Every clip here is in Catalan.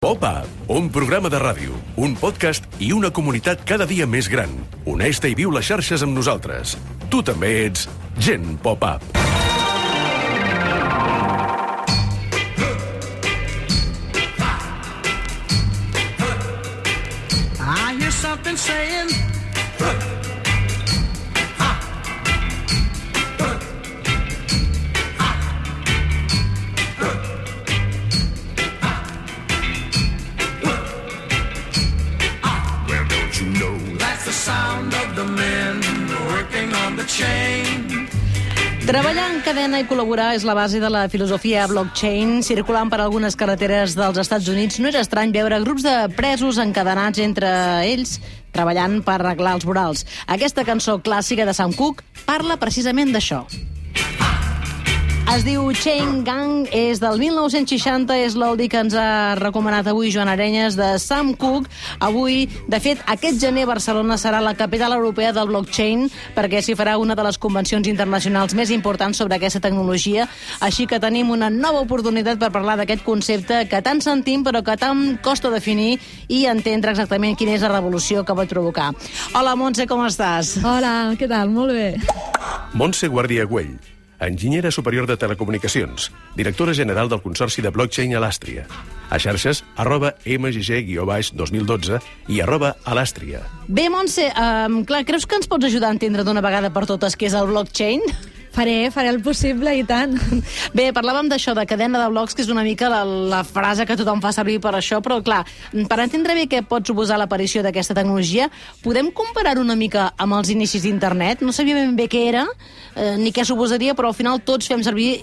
Pop-Up, un programa de ràdio, un podcast i una comunitat cada dia més gran. Uneix-te i viu les xarxes amb nosaltres. Tu també ets Gent Pop-Up. I hear something saying Treballar en cadena i col·laborar és la base de la filosofia blockchain. Circulant per algunes carreteres dels Estats Units, no és estrany veure grups de presos encadenats entre ells treballant per arreglar els vorals. Aquesta cançó clàssica de Sam Cooke parla precisament d'això. Es diu Chain Gang, és del 1960, és l'oldie que ens ha recomanat avui Joan Arenyes de Sam Cooke. Avui, de fet, aquest gener Barcelona serà la capital europea del blockchain perquè s'hi farà una de les convencions internacionals més importants sobre aquesta tecnologia, així que tenim una nova oportunitat per parlar d'aquest concepte que tant sentim però que tant costa definir i entendre exactament quina és la revolució que pot provocar. Hola, Montse, com estàs? Hola, què tal? Molt bé. Montse Guàrdia Güell, enginyera superior de telecomunicacions, directora general del Consorci de Blockchain Alastria. A xarxes, @mgg-2012 i @alastria. Bé, Montse, clar, creus que ens pots ajudar a entendre d'una vegada per totes què és el blockchain? Faré el possible i tant. Bé, parlàvem d'això, de cadena de blocs, que és una mica la frase que tothom fa servir per això, però clar, per entendre bé què pot suposar l'aparició d'aquesta tecnologia, podem comparar-ho una mica amb els inicis d'internet? No sabia ben bé què era, ni què suposaria, però al final tots fem servir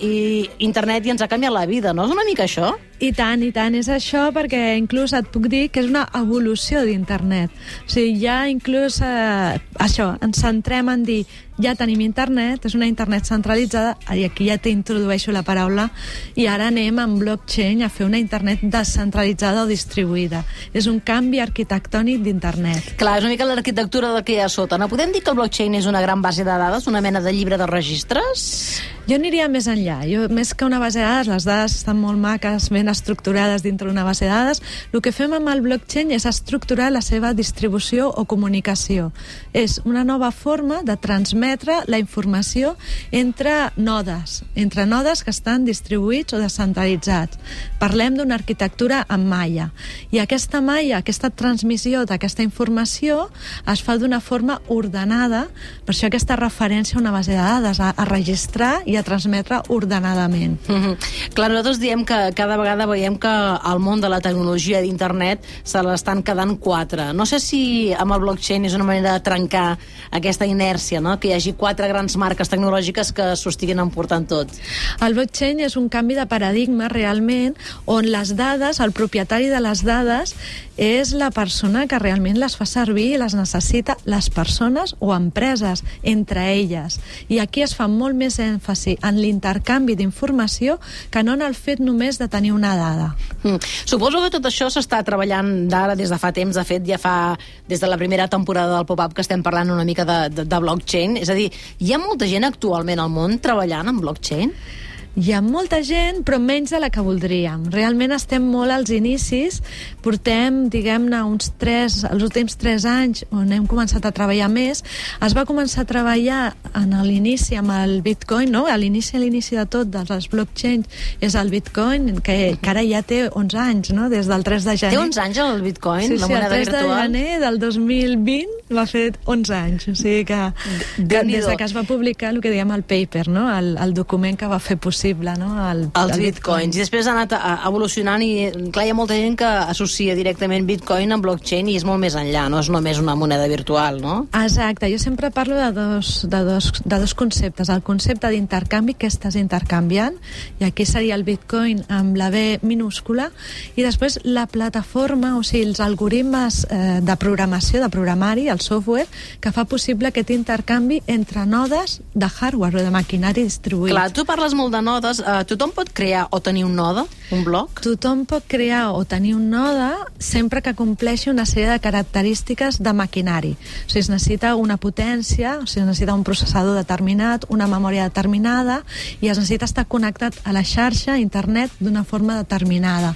internet i ens ha canviat la vida, no? És una mica això? I tant, és això, perquè inclús et puc dir que és una evolució d'internet. O sigui, ja inclús això, ens centrem en dir ja tenim internet, és una internet centralitzada, i aquí ja t'introdueixo la paraula, i ara anem amb blockchain a fer una internet descentralitzada o distribuïda. És un canvi arquitectònic d'internet. Clar, és una mica l'arquitectura del que hi ha a sota. No podem dir que el blockchain és una gran base de dades, una mena de llibre de registres? Jo aniria més enllà. Més que una base de dades, les dades estan molt maques, ben estructurades dintre d'una base de dades. El que fem amb el blockchain és estructurar la seva distribució o comunicació. És una nova forma de transmetre la informació entre nodes que estan distribuïts o descentralitzats. Parlem d'una arquitectura en malla. I aquesta malla, aquesta transmissió d'aquesta informació es fa d'una forma ordenada, per això aquesta referència a una base de dades, a registrar i a transmetre ordenadament. Clar, nosaltres diem que cada vegada veiem que el món de la tecnologia d'internet se l'estan quedant quatre. No sé si amb el blockchain és una manera de trencar aquesta inèrcia, no? Que hi hagi quatre grans marques tecnològiques que s'ho estiguin emportant tot. El blockchain és un canvi de paradigma realment, on les dades, el propietari de les dades és la persona que realment les fa servir i les necessita, les persones o empreses, entre elles. I aquí es fa molt més èmfasi en l'intercanvi d'informació que no en el fet només de tenir una dada. Suposo que tot això s'està treballant d'ara des de fa temps. De fet, ja fa des de la primera temporada del Pop-Up que estem parlant una mica de blockchain. És a dir, hi ha molta gent actualment al món treballant en blockchain? Hi ha molta gent, però menys de la que voldríem. Realment estem molt als inicis. Portem, diguem-ne, els últims 3 anys on hem començat a treballar més. Es va començar a treballar en l'inici amb el Bitcoin, no? A l'inici de tot dels blockchains és el Bitcoin, que ara ja té 11 anys, no? Des del 3 de gener. Té 11 anys el Bitcoin, sí, la moneda virtual? Sí, el 3 de gener del 2020 va fer 11 anys. O sigui que des que es va publicar el que diem el paper, no? El document que va fer possible, no? Els bitcoins. I després ha anat evolucionant i, clar, hi ha molta gent que associa directament bitcoin amb blockchain i és molt més enllà, no és només una moneda virtual, no? Exacte. Jo sempre parlo de dos conceptes. El concepte d'intercanvi, que estàs intercanviant, i aquí seria el bitcoin amb la B minúscula, i després la plataforma, o sigui, els algoritmes de programació, de programari, el software, que fa possible aquest intercanvi entre nodes de hardware o de maquinari distribuït. Clar, tu parles molt de nodes. Tothom pot crear o tenir un node, un blog? Tothom pot crear o tenir un node sempre que compleixi una sèrie de característiques de maquinari. O sigui, es necessita una potència, o sigui, es necessita un processador determinat, una memòria determinada, i es necessita estar connectat a la xarxa, a internet, d'una forma determinada.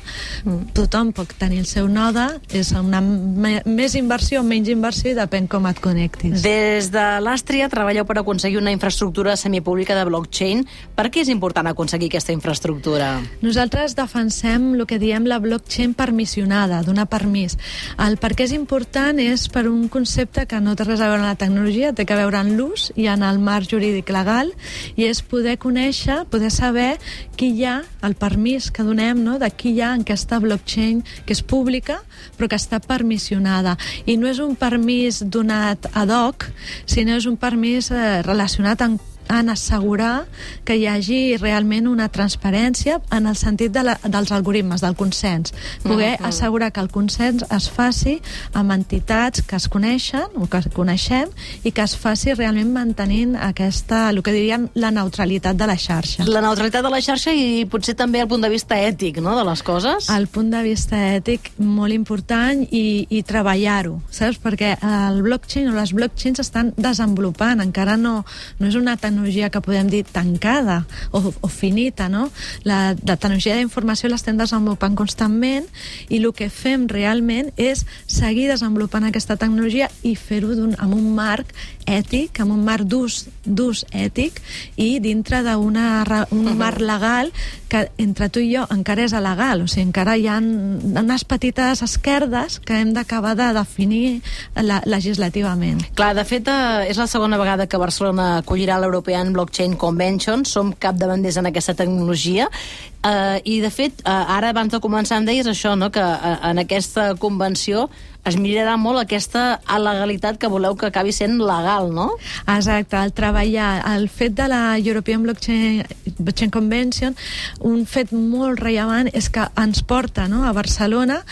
Tothom pot tenir el seu node, és una més inversió o menys inversió, i depèn com et connectis. Des de l'Àstria treballeu per aconseguir una infraestructura semipública de blockchain. Per què és important aconseguir aquesta infraestructura? Nosaltres defensem el que diem la blockchain permissionada, donar permís. El per què és important és per un concepte que no té res a veure amb la tecnologia, té que veure en l'ús i en el marc jurídic legal, i és poder conèixer, poder saber qui hi ha, el permís que donem, no?, de qui hi ha en aquesta blockchain que és pública però que està permissionada. I no és un permís donat ad hoc, sinó és un permís relacionat en assegurar que hi hagi realment una transparència en el sentit dels algoritmes, del consens. Poder assegurar que el consens es faci amb entitats que es coneixen o que coneixem, i que es faci realment mantenint aquesta, el que dirien, la neutralitat de la xarxa. La neutralitat de la xarxa i potser també el punt de vista ètic, no?, de les coses. El punt de vista ètic molt important, i treballar-ho, saps? Perquè el blockchain o les blockchains estan desenvolupant, encara no és una tecnologia que podem dir tancada o finita, no? La tecnologia d'informació l'estem desenvolupant constantment, i el que fem realment és seguir desenvolupant aquesta tecnologia i fer-ho amb un marc ètic, amb un marc d'ús ètic, i dintre d'un marc legal que entre tu i jo encara és alegal. O sigui, encara hi ha unes petites esquerdes que hem d'acabar de definir legislativament. Clar, de fet, és la segona vegada que Barcelona acollirà l'European Blockchain Convention. Som capdavanters en aquesta tecnologia. I, de fet, ara, abans de començar, em deies això, no?, que en aquesta convenció es mirarà molt aquesta legalitat que voleu que acabi sent legal, no? Exacte, el fet de la European Blockchain Convention, un fet molt rellevant és que ens porta, no?, a Barcelona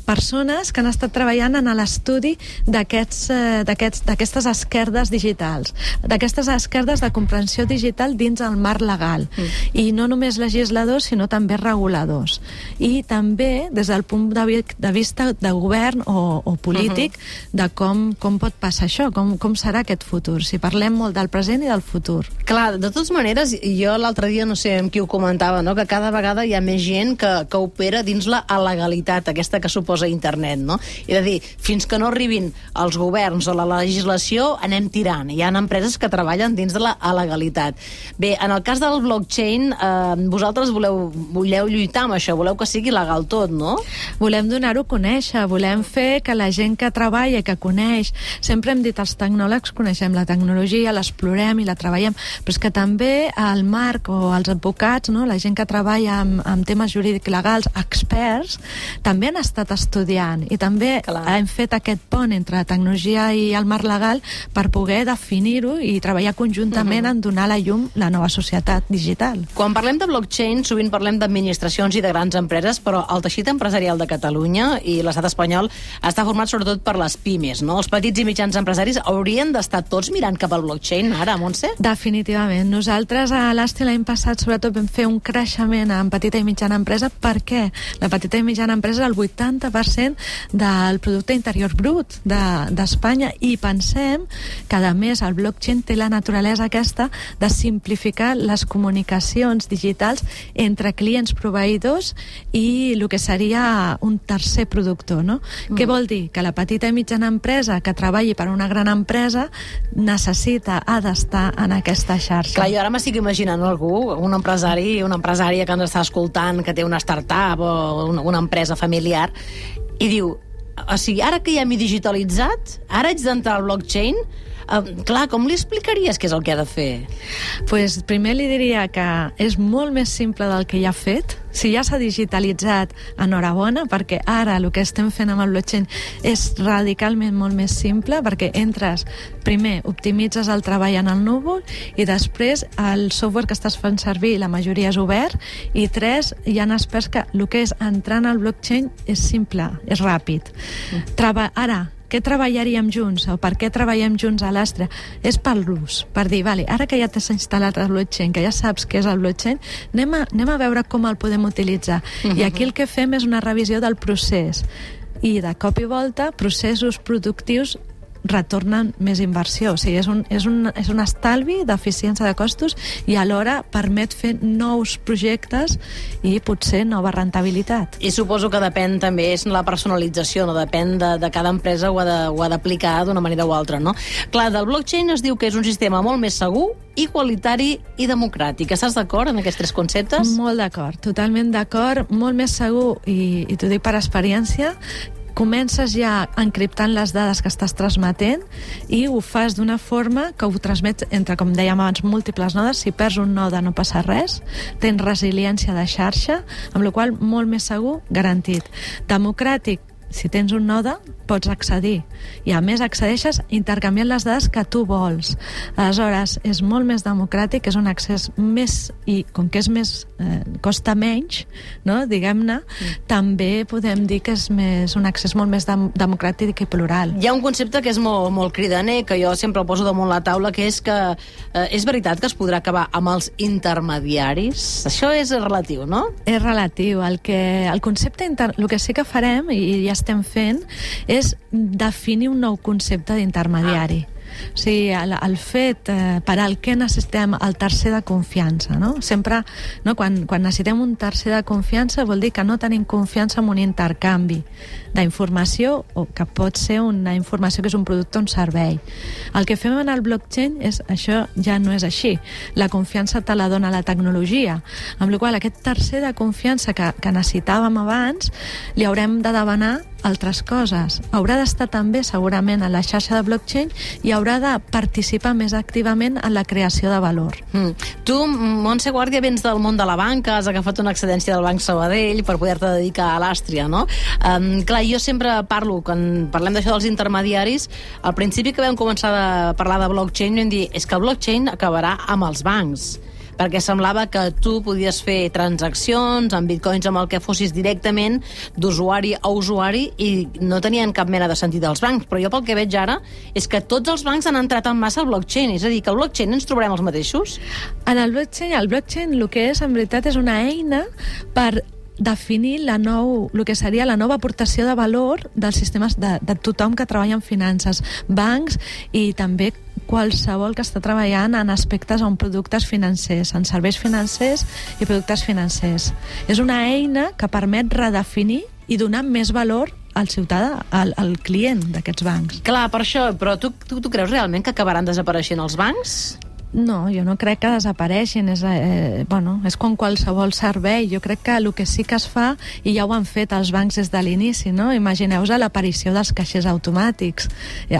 persones que han estat treballant en l'estudi d'aquestes esquerdes digitals, d'aquestes esquerdes de comprensió digital dins el marc legal. I no només legisladors, sinó també reguladors. I també des del punt de vista de govern o polític, de com pot passar això, com serà aquest futur. Si parlem molt del present i del futur. Clar, de totes maneres, jo l'altre dia, no sé amb qui ho comentava, no?, que cada vegada hi ha més gent que opera dins la legalitat, aquesta que suposa internet, no? És a dir, fins que no arribin els governs o la legislació, anem tirant. Hi ha empreses que treballen dins de la legalitat. Bé, en el cas del blockchain, vosaltres voleu lluitar amb això, voleu que sigui legal tot, no? Volem donar-ho a conèixer, volem fer que la gent que treballa i que coneix, sempre hem dit, els tecnòlegs coneixem la tecnologia, l'explorem i la treballem, però és que també el marc o els advocats, no?, la gent que treballa amb temes jurídics legals, experts, també han estat estudiant, i també hem fet aquest pont entre la tecnologia i el marc legal per poder definir-ho i treballar conjuntament en donar a la llum la nova societat digital. Quan parlem de blockchain, sovint parlem d'administracions i de grans empreses, però el teixit empresarial de Catalunya i l'estat espanyol està format sobretot per les pimes, no? Els petits i mitjans empresaris haurien d'estar tots mirant cap al blockchain ara, Montse? Definitivament. Nosaltres a l'Àstria l'any passat sobretot vam fer un creixement en petita i mitjana empresa. Per què? La petita i mitjana empresa és el 80% del producte interior brut d'Espanya, i pensem que a més el blockchain té la naturalesa aquesta de simplificar les comunicacions digitals entre clients proveïdors i el que seria un tercer productor, no? Què vol dir? Que la petita i mitjana empresa que treballi per una gran empresa ha d'estar en aquesta xarxa. Clar, jo ara m'estic imaginant algú, un empresari, una empresària que ens està escoltant, que té una startup o una empresa familiar, i diu, o sigui, ara que ja m'he digitalitzat, ara haig d'entrar al blockchain, clar, com li explicaries què és el que ha de fer? Pues primer li diria que és molt més simple del que ja ha fet. Si ja s'ha digitalitzat, enhorabona, perquè ara el que estem fent amb el blockchain és radicalment molt més simple, perquè entres, primer, optimitzes el treball en el núvol, i després el software que estàs fent servir, la majoria és obert, i tres, hi ha experts que el que és entrar en el blockchain és simple, és ràpid. Ara, què treballaríem junts o per què treballem junts a l'Astra? És per l'ús, per dir, vale, ara que ja t'has instal·lat el blockchain, que ja saps què és el blockchain, anem a veure com el podem utilitzar. I aquí el que fem és una revisió del procés. I de cop i volta, processos productius retornen més inversió. O sigui, és un estalvi d'eficiència de costos i alhora permet fer nous projectes i potser nova rentabilitat. I suposo que depèn també, és la personalització, no? Depèn de cada empresa, ho ha d'aplicar d'una manera o altra, no? Clar, del blockchain es diu que és un sistema molt més segur, igualitari i democràtic. Estàs d'acord en aquests tres conceptes? Molt d'acord, totalment d'acord, molt més segur, i t'ho dic per experiència. Comences ja encriptant les dades que estàs transmetent i ho fas d'una forma que ho transmets entre, com dèiem abans, múltiples nodes. Si perds un node no passa res, tens resiliència de xarxa, amb la qual molt més segur, garantit. Democràtic, si tens un node, pots accedir. I a més accedeixes intercanviant les dades que tu vols. Aleshores, és molt més democràtic, és un accés més, i com que és més, costa menys, no? Diguem-ne, també podem dir que és un accés molt més democràtic i plural. Hi ha un concepte que és molt cridaner, que jo sempre el poso damunt la taula, que és que és veritat que es podrà acabar amb els intermediaris? Això és relatiu, no? És relatiu. El concepte el que sí que farem, i ja estem fent, és definir un nou concepte d'intermediari. O sigui, el fet per al que necessitem el tercer de confiança, no? Sempre, no, quan necessitem un tercer de confiança vol dir que no tenim confiança en un intercanvi d'informació, o que pot ser una informació que és un producte o un servei. El que fem en el blockchain és això, ja no és així. La confiança te la dona la tecnologia, amb la qual aquest tercer de confiança que necessitàvem abans li haurem de demanar altres coses. Haurà d'estar també segurament a la xarxa de blockchain i haurà de participar més activament en la creació de valor. Tu, Montse Guàrdia, vens del món de la banca, has agafat una excedència del Banc Sabadell per poder-te dedicar a l'Àstria, no? Clar, jo sempre parlo, quan parlem d'això dels intermediaris, al principi que vam començar a parlar de blockchain vam dir, és que el blockchain acabarà amb els bancs, perquè semblava que tu podies fer transaccions amb bitcoins amb el que fossis directament d'usuari a usuari i no tenien cap mena de sentit els bancs, però jo pel que veig ara és que tots els bancs han entrat en massa al blockchain, és a dir, que al blockchain ens trobarem els mateixos? En el blockchain el que és en veritat és una eina per definir el que seria la nova aportació de valor dels sistemes de tothom que treballa en finances, bancs i també qualsevol que està treballant en aspectes o en productes financers, en serveis financers i productes financers. És una eina que permet redefinir i donar més valor al ciutadà, al client d'aquests bancs. Clar, per això, però tu creus realment que acabaran desapareixent els bancs? No, jo no crec que desapareixin. És com qualsevol servei. Jo crec que el que sí que es fa, i ja ho han fet els bancs des de l'inici, no? Imagineu-vos l'aparició dels caixers automàtics.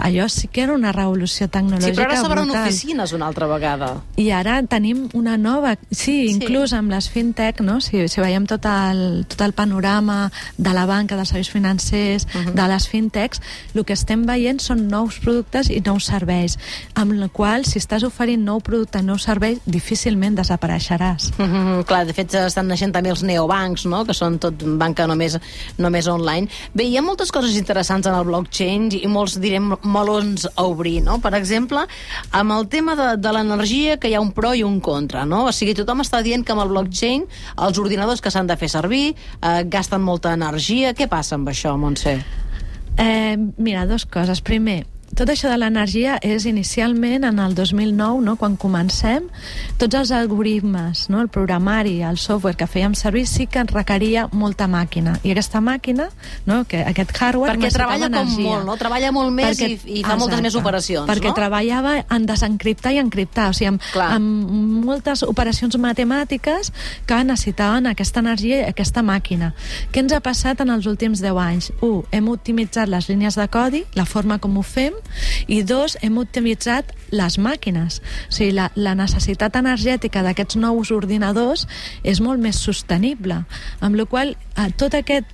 Allò sí que era una revolució tecnològica brutal. Sí, però ara s'obren oficines una altra vegada. I ara tenim una nova... Sí, inclús amb les fintech, no? Si veiem tot el panorama de la banca, dels serveis financers, de les fintechs, el que estem veient són nous productes i nous serveis, amb el qual, si estàs oferint nou producte, nou servei, difícilment desapareixeràs. Clar, de fet estan naixent també els neobancs, no? Que són tot banca només online. Bé, hi ha moltes coses interessants en el blockchain i molts, direm, melons a obrir, no? Per exemple, amb el tema de l'energia, que hi ha un pro i un contra, no? O sigui, tothom està dient que amb el blockchain els ordinadors que s'han de fer servir gasten molta energia. Què passa amb això, Montse? Mira, dues coses. Primer, tot això de l'energia és inicialment en el 2009, no? Quan comencem, tots els algoritmes, no? El programari, el software que fèiem servir sí que requeria molta màquina. I aquesta màquina, no? Aquest hardware perquè treballa energia. Com molt, no? Treballa molt més i fa moltes més operacions, perquè no? treballava en desencriptar i encriptar, o sigui, amb moltes operacions matemàtiques que necessitaven aquesta energia i aquesta màquina. Què ens ha passat en els últims 10 anys? 1. Hem optimitzat les línies de codi, la forma com ho fem, i 2, hem optimitzat les màquines. O sigui, la necessitat energètica d'aquests nous ordinadors és molt més sostenible, amb la qual tot aquesta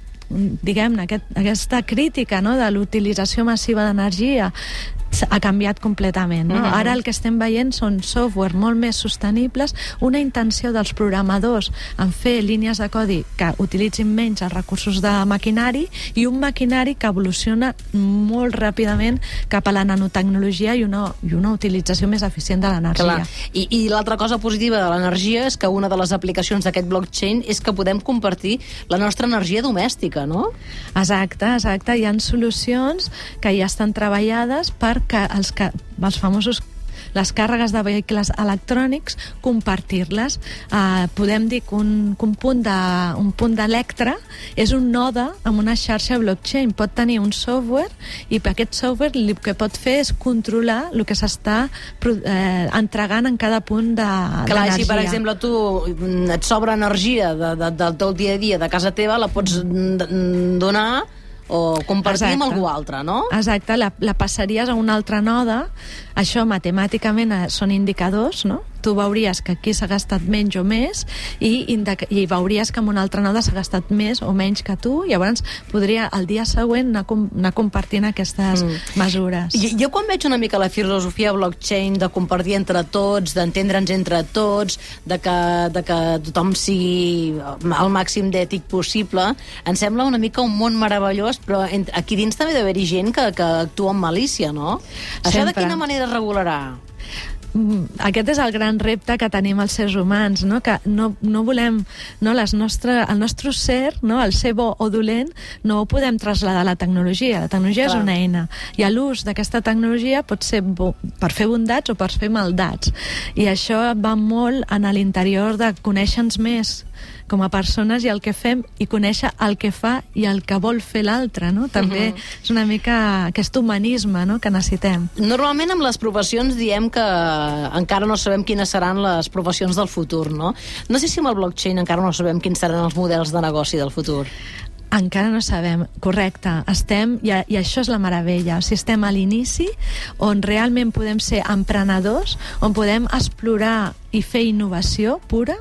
crítica, no, de l'utilització massiva d'energia ha canviat completament, no? Ara el que estem veient són software molt més sostenibles, una intenció dels programadors en fer línies de codi que utilitzin menys els recursos de maquinari i un maquinari que evoluciona molt ràpidament cap a la nanotecnologia i una utilització més eficient de l'energia. I l'altra cosa positiva de l'energia és que una de les aplicacions d'aquest blockchain és que podem compartir la nostra energia domèstica, no? Exacte. Hi ha solucions que ja estan treballades perquè els famosos les càrregues de vehicles electrònics, compartir-les. Podem dir que un punt d'Electra és un node amb una xarxa blockchain. Pot tenir un software i per aquest software el que pot fer és controlar el que s'està entregant en cada punt d'energia. Clar, si per exemple tu et sobra energia del teu dia a dia de casa teva, la pots donar o compartir amb algú altre, no? Exacte, la passaries a un altre node. Això matemàticament són indicadors, no? Tu veuries que aquí s'ha gastat menys o més i veuries que en un altre node s'ha gastat més o menys que tu, i llavors podria el dia següent anar compartint aquestes mesures. Jo quan veig una mica la filosofia blockchain de compartir entre tots, d'entendre'ns entre tots, de que tothom sigui el màxim d'ètic possible, em sembla una mica un món meravellós, però aquí dins també d'haver-hi gent que actua amb malícia, no? Això de quina manera es regularà? Aquest és el gran repte que tenim els éssers humans, no? Que no volem, no, el nostre ser, no, el ser bo o dolent, no ho podem traslladar a la tecnologia. La tecnologia és una eina, i l'ús d'aquesta tecnologia pot ser per fer bondats o per fer maldats, i això va molt en l'interior de conèixer-nos més com a persones i el que fem, i conèixer el que fa i el que vol fer l'altre, no? També és una mica aquest humanisme, no?, que necessitem. Normalment amb les professions diem que encara no sabem quines seran les professions del futur, no? No sé si amb el blockchain encara no sabem quins seran els models de negoci del futur. Encara no sabem, correcte. I això és la meravella. O sigui, estem a l'inici on realment podem ser emprenedors, on podem explorar i fer innovació pura,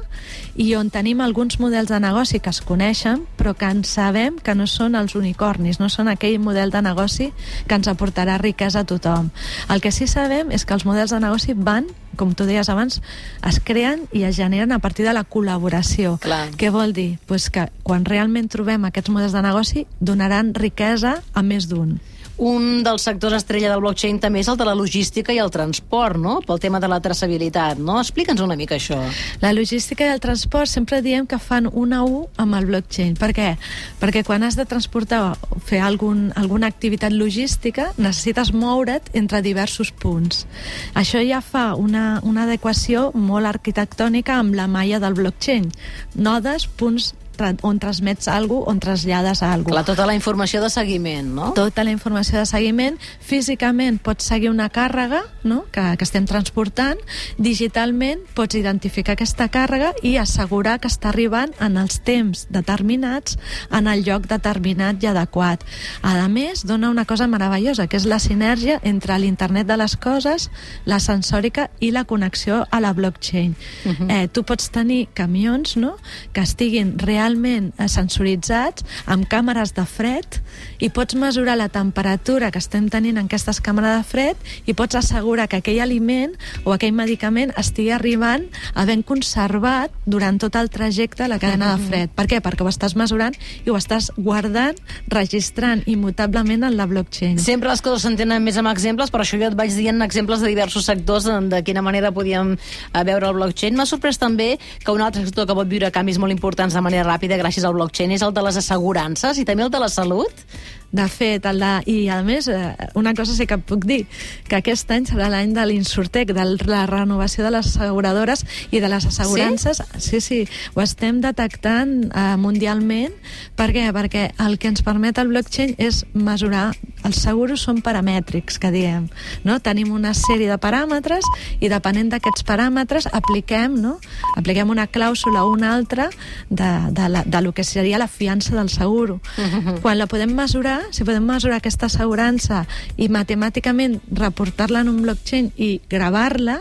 i on tenim alguns models de negoci que es coneixen, però que en sabem que no són els unicornis, no són aquell model de negoci que ens aportarà riquesa a tothom. El que sí sabem és que els models de negoci van, com tu deies abans, es creen i es generen a partir de la col·laboració. Clar. Què vol dir? Pues que quan realment trobem aquests models de negoci donaran riquesa a més d'un. Un dels sectors estrella del blockchain també és el de la logística i el transport, no? Pel tema de la traçabilitat, no? Explica'ns una mica això. La logística i el transport sempre diem que fan una U amb el blockchain. Per què? Perquè quan has de transportar o fer alguna activitat logística necessites moure't entre diversos punts. Això ja fa una adequació molt arquitectònica amb la malla del blockchain. Nodes, punts on transmets alguna cosa, on trasllades alguna cosa. Clar, tota la informació de seguiment, no? Tota la informació de seguiment. Físicament pots seguir una càrrega, no?, que estem transportant. Digitalment pots identificar aquesta càrrega i assegurar que està arribant en els temps determinats, en el lloc determinat i adequat. A més, dona una cosa meravellosa, que és la sinergia entre l'internet de les coses, la sensòrica i la connexió a la blockchain. Tu pots tenir camions, no?, que estiguin realment sensoritzats, amb càmeres de fred, i pots mesurar la temperatura que estem tenint en aquestes càmeres de fred i pots assegurar que aquell aliment o aquell medicament estigui arribant havent conservat durant tot el trajecte la cadena de fred. Per què? Perquè ho estàs mesurant i ho estàs guardant, registrant immutablement en la blockchain. Sempre les coses s'entenen més amb exemples, per això jo et vaig dient exemples de diversos sectors de quina manera podíem veure el blockchain. M'ha sorprès també que un altre sector que pot viure canvis molt importants de manera ràpida gràcies al blockchain és el de les assegurances i també el de la salut. De fet, i a més, una cosa sí que puc dir, que aquest any serà l'any de l'Insurtech, de la renovació de les asseguradores i de les assegurances. Sí, ho estem detectant mundialment. Per què? Perquè el que ens permet el blockchain és mesurar. Els seguros són paramètrics, que diem, no? Tenim una sèrie de paràmetres i depenent d'aquests paràmetres apliquem una clàusula o una altra de lo que seria la fiança del seguro. Quan la podem mesurar, si podem mesurar aquesta assegurança i matemàticament reportar-la en un blockchain i gravar-la,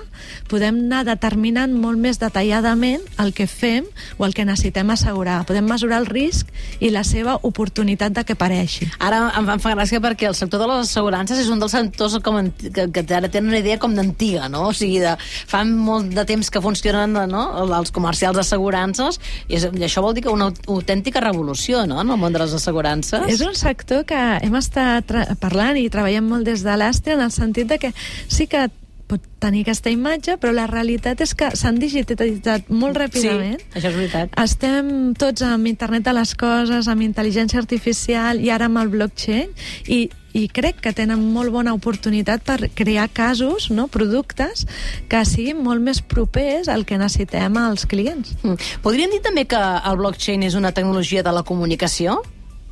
podem anar determinant molt més detalladament el que fem o el que necessitem assegurar. Podem mesurar el risc i la seva oportunitat de que apareixi. Ara em fa gràcia perquè el sector de les assegurances és un dels sectors que ara tenen una idea com d'antiga, no? O sigui, fa molt de temps que funcionen, no?, els comercials d'assegurances, i això vol dir que una autèntica revolució, no?, en el món de les assegurances. És un sector que hem estat parlant i treballem molt des de l'Àstria, en el sentit de que sí que pot tenir aquesta imatge, però la realitat és que s'han digitalitzat molt ràpidament. Sí, això és veritat. Estem tots amb internet de les coses, amb intel·ligència artificial i ara amb el blockchain, i crec que tenen molt bona oportunitat per crear casos, no?, productes que siguin molt més propers al que necessitem als clients. Podríem dir també que el blockchain és una tecnologia de la comunicació?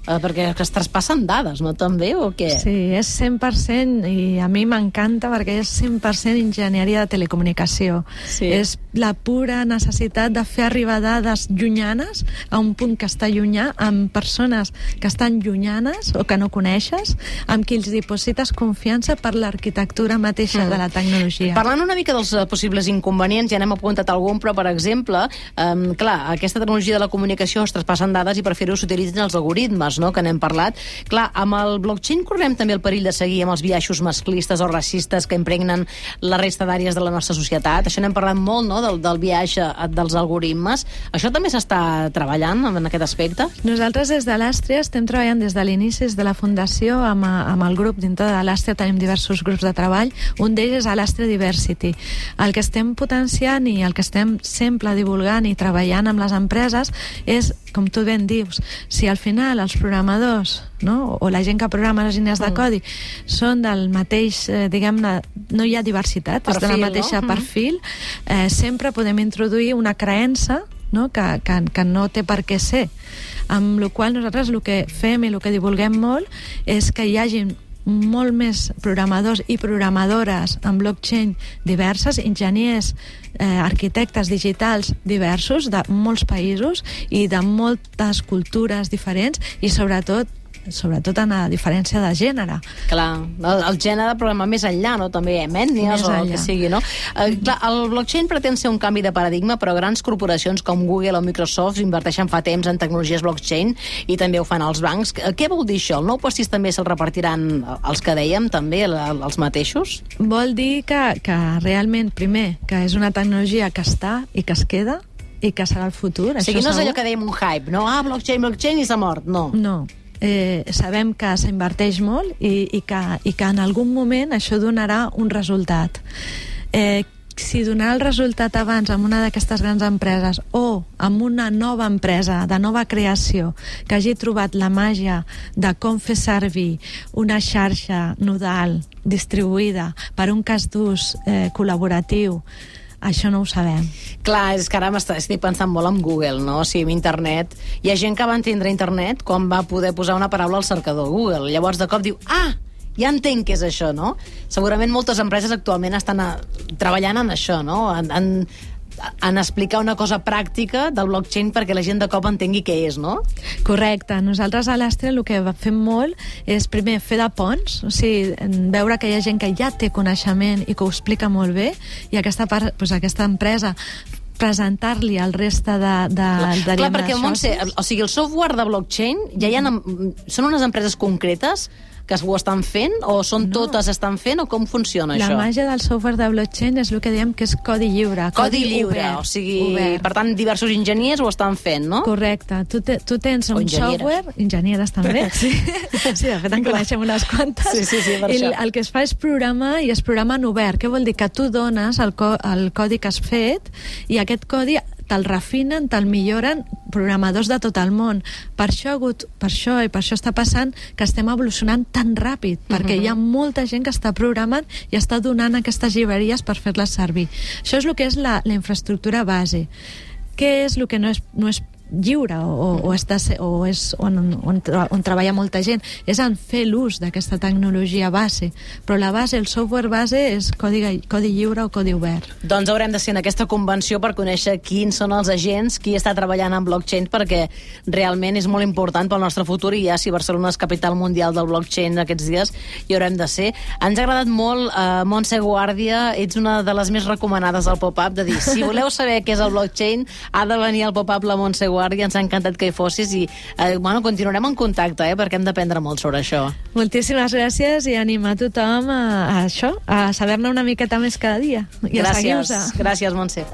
Perquè es traspassen dades, no, també, o què? Sí, és 100%, i a mi m'encanta perquè és 100% enginyeria de telecomunicació. Sí. És la pura necessitat de fer arribar dades llunyanes a un punt que està llunyà, amb persones que estan llunyanes o que no coneixes, amb qui els diposites confiança per l'arquitectura mateixa de la tecnologia. Parlant una mica dels possibles inconvenients, ja n'hem apuntat algun, però, per exemple, clar, aquesta tecnologia de la comunicació es traspassen dades i per fer-ho s'utilitzen els algoritmes, no?, que n'hem parlat. Clar, amb el blockchain correm també el perill de seguir amb els biaixos masclistes o racistes que impregnen la resta d'àrees de la nostra societat. Això n'hem parlat molt, no?, del biaix dels algoritmes. Això també s'està treballant en aquest aspecte? Nosaltres des de l'Àstria estem treballant des de l'inici de la fundació amb el grup. Dintre de l'Àstria tenim diversos grups de treball. Un d'ells és l'Àstria Diversity. El que estem potenciant i el que estem sempre divulgant i treballant amb les empreses és, com tu ben dius, si al final els programadors, no?, o la gent que programa les línies de codi són del mateix, diguem-ne, no hi ha diversitat, és de la mateixa perfil, sempre podem introduir una creença, no?, que no té per què ser. Amb la qual nosaltres el que fem i el que divulguem molt és que hi hagi molt més programadors i programadores en blockchain diverses, enginyers, arquitectes digitals diversos de molts països i de moltes cultures diferents, i sobretot en la diferència de gènere. Clar, el gènere, però més enllà, no?, també ètnies o el que sigui, no? Clar, el blockchain pretén ser un canvi de paradigma, però grans corporacions com Google o Microsoft inverteixen fa temps en tecnologies blockchain i també ho fan els bancs. Què vol dir això? El nou pastís també se'l repartiran els que dèiem, també, els mateixos? Vol dir que realment, primer, que és una tecnologia que està i que es queda i que serà el futur. O sigui, no és allò que dèiem un hype, no? Blockchain i s'ha mort, no. No. Sabem que s'inverteix molt i que en algun moment això donarà un resultat. Si donarà el resultat abans amb una d'aquestes grans empreses o amb una nova empresa de nova creació que hagi trobat la màgia de com fer servir una xarxa nodal distribuïda per un cas d'ús col·laboratiu, això no ho sabem. Clar, és que ara estic pensant molt en Google, no? O sigui, en internet. Hi ha gent que va entendre internet quan va poder posar una paraula al cercador Google. Llavors, de cop diu, ja entenc què és això, no? Segurament moltes empreses actualment estan treballant en això, no? En explicar una cosa pràctica del blockchain perquè la gent de cop entengui què és, no? Correcte. Nosaltres a l'Àstria el que fem molt és primer fer de ponts, o sigui, veure que hi ha gent que ja té coneixement i que ho explica molt bé, i aquesta empresa presentar-li al resta de Clar, perquè, Montse, o sigui, el software de blockchain són unes empreses concretes que ho estan fent, o són totes estan fent, o com funciona això? La màgia del software de blockchain és el que diem que és codi lliure. Codi lliure, obert, o sigui, obert. Per tant, diversos enginyers ho estan fent, no? Correcte. Tu tens un software... Enginyeres també. Sí, de fet en coneixem unes quantes. Sí, per això. El que es fa és programar, i es programa en obert. Què vol dir? Que tu dones el codi que has fet, i aquest codi te'l refinen, te'l milloren programadors de tot el món. Per això està passant que estem evolucionant tan ràpid, perquè hi ha molta gent que està programant i està donant aquestes llibreries per fer-les servir. Això és el que és la infraestructura base. Què és el que no és lliure on treballa molta gent? És en fer l'ús d'aquesta tecnologia base, però la base, el software base és codi lliure o codi obert. Doncs haurem de ser en aquesta convenció per conèixer quins són els agents, qui està treballant en blockchain, perquè realment és molt important pel nostre futur, i ja si Barcelona és capital mundial del blockchain aquests dies hi haurem de ser. Ens ha agradat molt, Montse Guàrdia, ets una de les més recomanades del pop-up, de dir, si voleu saber què és el blockchain, ha de venir al pop-up la Montse Guàrdia. Guàrdia, ens ha encantat que hi fossis i continuarem en contacte, perquè hem d'aprendre molt sobre això. Moltíssimes gràcies i animar tothom a això, a saber-ne una miqueta més cada dia. I a seguir-vos. Gràcies, Montse.